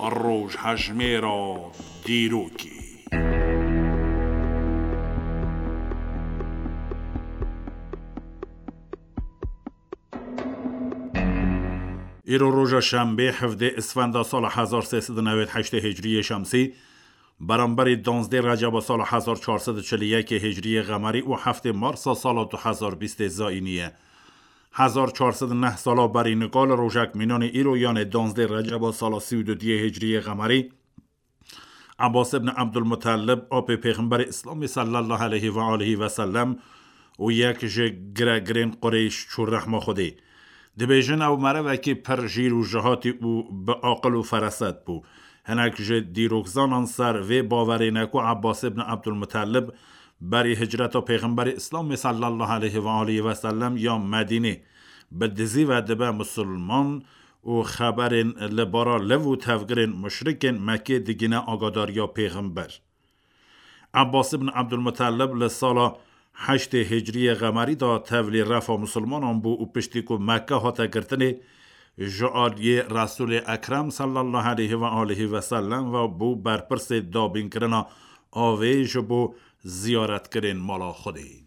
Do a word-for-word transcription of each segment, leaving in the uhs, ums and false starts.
Rojhejmêra dîrokê. Îro roja şembê, hevdê Isfenda sala hezar sê sed û newêd heştê Hicriyê Şemsî, beramberî danzdê Receba sala hezar çar sed û çil û yekê Hicriyê Qemerî û heftê Marsa sala du hezar bîstê Zayînî ye. Hezar çar sed û neh sala berî nika li rojek mînanê îro, yanê danzdê Receba sala sî û duyê Hicriyê Qemerî, Ebbas ibn Ebdulmutellib, apê Pêxemberê Îslamê sallallahu aleyhi ve alihi ve sellem û yek ji giregirên Qureyş çû rehma Xwedê. Dibêjin ew merivekî pir jîr û jihatî û bi aqil û feraset bû. Hinek ji dîrokzanan ser vê bawerê ne ku Ebbas ibn Ebdulmutellib berî hicreta Pêxemberê Îslamê sallallahu aleyhi ve alihi ve sellem ya Medînê bi dizî ve dibe misilman û xeberên li bara liv û tevgirên muşrikên Mekkê digîne agadariya Pêxember. Ebbas ibn Ebdulmutellib li sala heştê Hicriyê Qemerî de tevlî refa misilmanan bû û piştî ku Mekke hate girtinê, ji aliyê Resûlê Ekrem sallallahu aleyhi ve alihi ve sellem ve bû berpirsê dabînkirina avê ji bo ziyaretkirên mala Xwedê.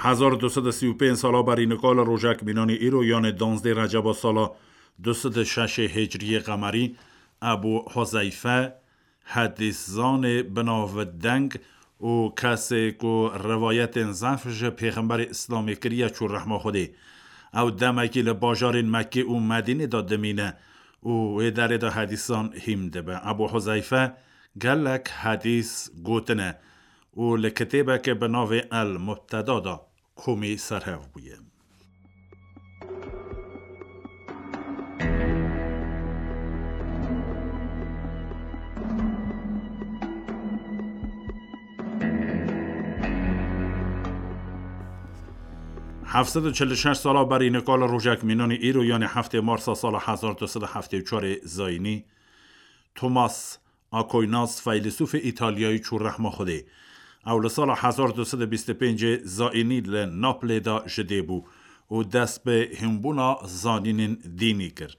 Hezar du sed û sî û pênc sala berî nika li rojek mînanî îro, yanê danzdê Receba sala du sed û şeşê Hicriyê Qemerî, Ebû Huzeyfe, hedîszanê bi navdeng û kesê ku rivayetên zehf ji Pêxemberê Îslamê kiriye, çû rehma Xwedê. Ew demekî li bajarên Mekkê û Medînê de dimîne û wê derê de hedîsan hîm dibe. Ebû Huzeyfe gelek hedîs gotine û li kitêbeke bi navê El Mubteda de komî serhev bûye. Heft sed û çil û şeş sala berî nika li rojek mînanî îro, yanê heftê Marsa sala hezar du sed û heftê û çarê Zayînî, Thomas Aquinas, feylesûfê Îtalyayî, çû rehma Xwedê. Ew li sala hezar du sed û bîst û pêncê Zayînî li Naplê de ji dê bû û dest bi hînbûna zanînên dînî kir.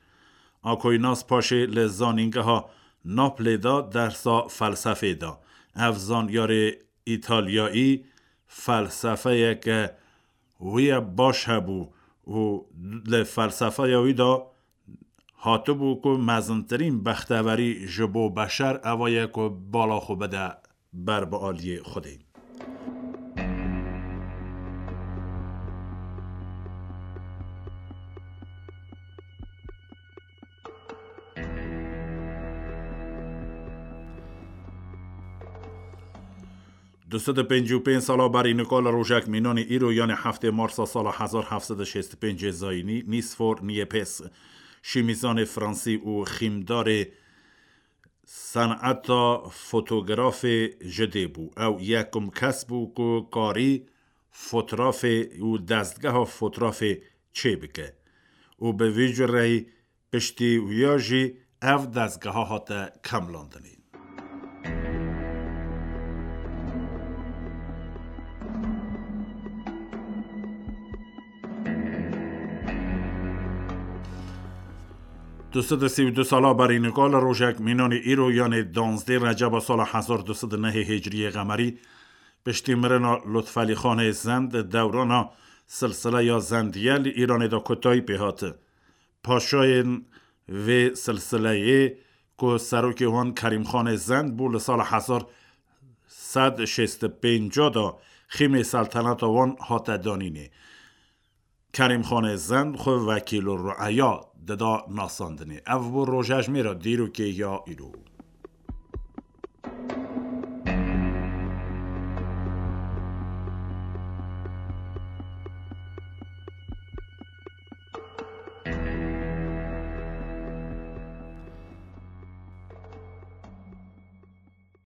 Aquinas paşê li zanîngeha Naplê de dersa felsefê da. Ev zanyarê Îtalyayî felsefeyeke wî ye baş hebû û li felsefeya wî de hatibû ku mezintirîn bextewerî ji bo beşer eva ye ku bala xwe bide ber bi aliyê Xwedê. Du sed û pêncî û pênc sala berî nika li rojek mînanî îro, yanê heftê Marsa sala hezar heft sed û şêst û pêncê Zayînî, Nîsfor Niepce, şîmîzanê fransî û xîmdarê seneta fotografê ji dê bû. Ew yekum kes bû ku karî fotrafê û destgeha fotrafê çêbike û bi vî cureyî piştî wiya jî ev dezgeha hate kemlandinê. Du sed û sî û du sala berî nika li rojek mînanî îro, yanê danzdê Receba sala hezar du sed û nehê Hicriyê Qemerî, piştî mirina Lutfelî Xanê Zend, dewrana silsileya Zendiye li Îranê de kotayî pê hate. Paşayên vê silsileyê ku serokê wan Kerîmxanê Zend bû, li sala hezar sed şêst û pênc de xîmê selteneta wan hate danînê. Kerîmxanê Zend xwe wekîl û rueya dida nasandinê. Ev bû rojejmêra dîrokê ya îro.